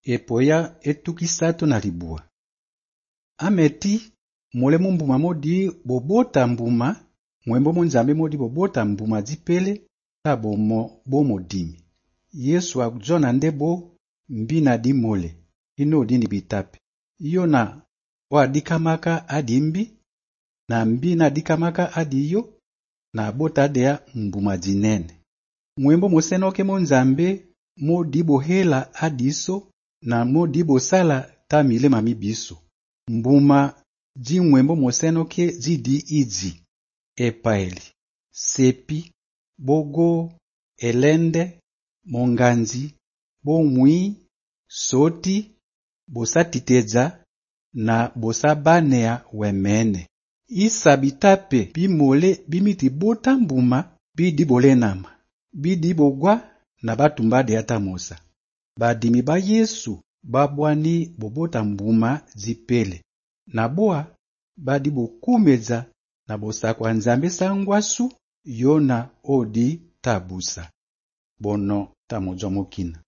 epoya etukisatu na libua. Ameti mulemu mbuma modi bobota mbuma, mwembo monzambe modi bobota mbuma zipele ta bomo dimi. Yesu akujona ndebo mbina di mole, ino dini bitape. Iyo na wadikamaka adi mbi, na mbina dikamaka adi iyo, na bota dea mbuma zinene. Mwembo mosenoke monzambe modi bohela adiso, na modi bosala ta milema mibiso. Mbuma zi mwembo mosenoke zidi izi: epaeli, sepi, bogo, elende, monganzi, bomwi, soti, bosatiteza na bosabanea wemene. Isa bitape bimole bimiti bota mbuma bidi bolenama, bidi bogwa na batumbade atamosa. Badimi ba Yesu babwani bobota mbuma zipele, na boa badi bokumeza na bosakwa nzambe sangwasu yona odi tabusa. Bono tamojo mokina.